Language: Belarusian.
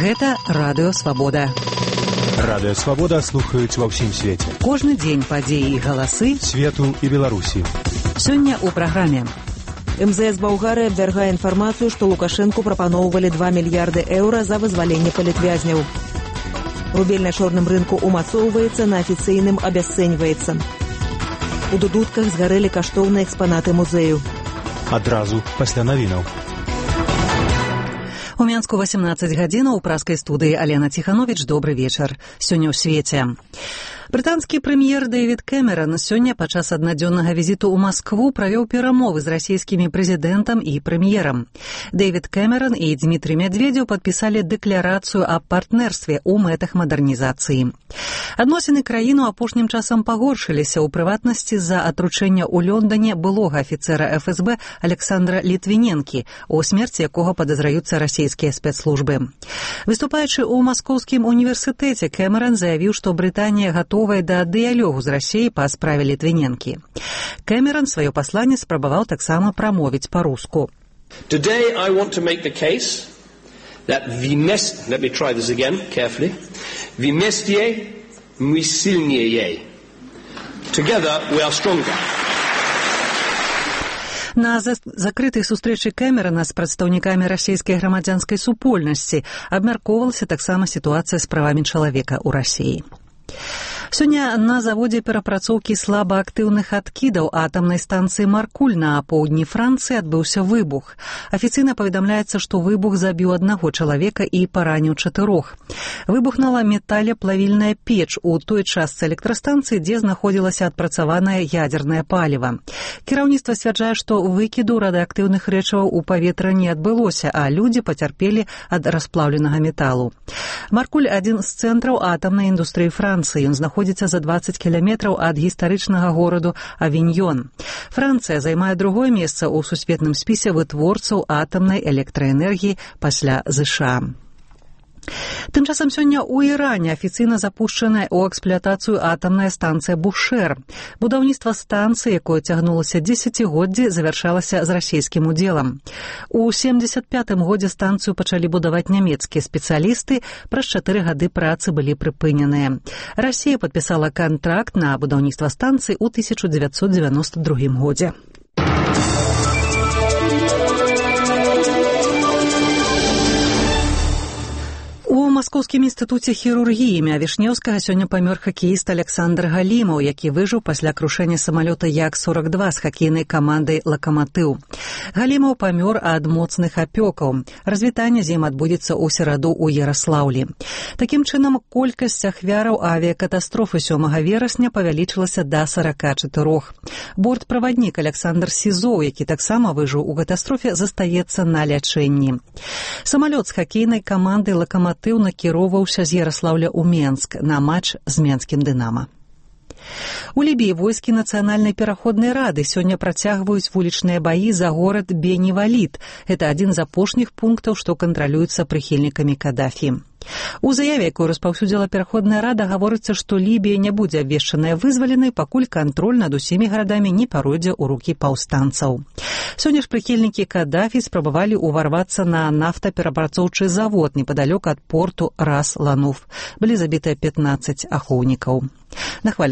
Гэта Радыё Свабода. Радыё Свабода слухаюць ва ўсім свеце. Кожны дзень падзеі і галасы свету і Беларусі. Сёння ў праграме. МЗС Балгарыі абвяргае інфармацыю, што Лукашэнку прапаноўвалі 2 мільярды еўра за вызваленне палітвязняў. Рубель на чорным рынку умацоўваецца, на афіцыйным абясцэньваецца. У дудутках згарэлі каштоўныя экспанаты музею. Адразу пасля навінаў. У Мінску 18 гадзінаў у праскай студыі Алена Ціхановіч. Добры вечар. Сёння ў свеце. Брытанскі прэм'ер Дэвід Кэмеран сёння падчас аднадзённага візіту ў Маскву правёў перамовы з расійскімі прэзідэнтам і прэм'ерам. Дэвід Кэмеран і Дмітрий Медведзеў падпісалі дэкларацыю аб партнерстве ў мэтах мадэрнізацыі. Адносіны краіну апошнім часам пагоршыліся, у прыватнасці з-за атручэння ў Лондане былога афіцэра ФСБ Александра Літвіненкі, у смерці якога падазраюцца расійскія спецслужбы. Выступаючы ў Маскоўскім універсітэце, Кэмеран заявіў, што Брытанія гатовая да дыялогу з Расіяй па справе Літвіненкі. Кэмеран сваё пасланне спрабаваў таксама прамовіць па-руску. Today I want to make the case that let me try this again carefully. Вместе мы сильнее. Together we are stronger. На закрытай сустрэчы Кэмерана з прадстаўнікамі расійскай грамадзянскай супольнасці абмяркоўвалася таксама сітуацыя з правамі чалавека ў Расіі. Сёння на заводзе перапрацоўкі слабаактыўных адкідаў атамнай станцыі Маркуль на поўдні Францыі адбыўся выбух. Афіцыйна паведамляецца, што выбух забіў аднаго чалавека і параніў 4. Выбухнула металеплавільная печ у той частцы электрастанцыі, дзе знаходзілася адпрацаванае ядзернае паліва. Кіраўніцтва сцвярджае, што выкіду радыеактыўных рэчываў у паветра не адбылося, а людзі пацярпелі ад расплаўленага металу. Маркуль – адзін з цэнтраў атамнай індустрыі Францыі. Ён знаходзіцца за 20 кіламетраў ад гістарычнага гораду Авіньён. Францыя займае другое месца ў сусветным спісе вытворцаў атамнай электраэнергіі пасля ЗША. Тым часам сёння ў Іране афіцыйна запушчаная ў эксплуатацыю атамная станцыя Бушэр. Будаўніцтва станцыі, якое цягнулася дзесяцігоддзі, завяршалася з расійскім удзелам. У 75-м годзе станцыю пачалі будаваць нямецкія спецыялісты, праз 4 гады працы былі прыпыненыя. Расія падпісала кантракт на будаўніцтва станцыі ў 1992 годзе. У Маскоўскім інстытуце хірургіі імя Вішнеўскага сёння памёр хакеіст Александр Галімаў, які выжыў пасля крушэння самалёта Як-42 з хакейнай камандай «Лакаматыў». Галімаў памёр ад моцных апёкаў. Развітанне з ім адбудзецца ў сераду ў Яраслаўлі. Такім чынам, колькасць ахвяраў авіякатастрофы 7 верасня павялічылася да 44. Бортправаднік Александр Сізоў, які таксама выжыў у катастрофе, застаецца на лячэнні. Самалёт з хакейнай камандай «Лакаматыў» накіроўваўся з Яраслаўля ў Менск на матч з менскім «Дынама». У Лібіі войскі Нацыянальнай пераходнай рады сёння працягваюць вулічныя баі за горад Бені-Валід. Гэта адзін з апошніх пунктаў, што кантралюецца прыхільнікамі Кадафі. У заяве, якую распаўсюдзіла пераходная рада, гаворыцца, што Лібія не будзе абвешчаная вызваленай, пакуль кантроль над усімі гарадамі не паройдзе ў рукі паўстанцаў. Сёння ж прыхільнікі Кадафі спрабавалі ўварвацца на нафтаперапрацоўчы завод непадалёк ад порту Рас-Лануф. Былі забітыя 15 ахоўнікаў. На хвалі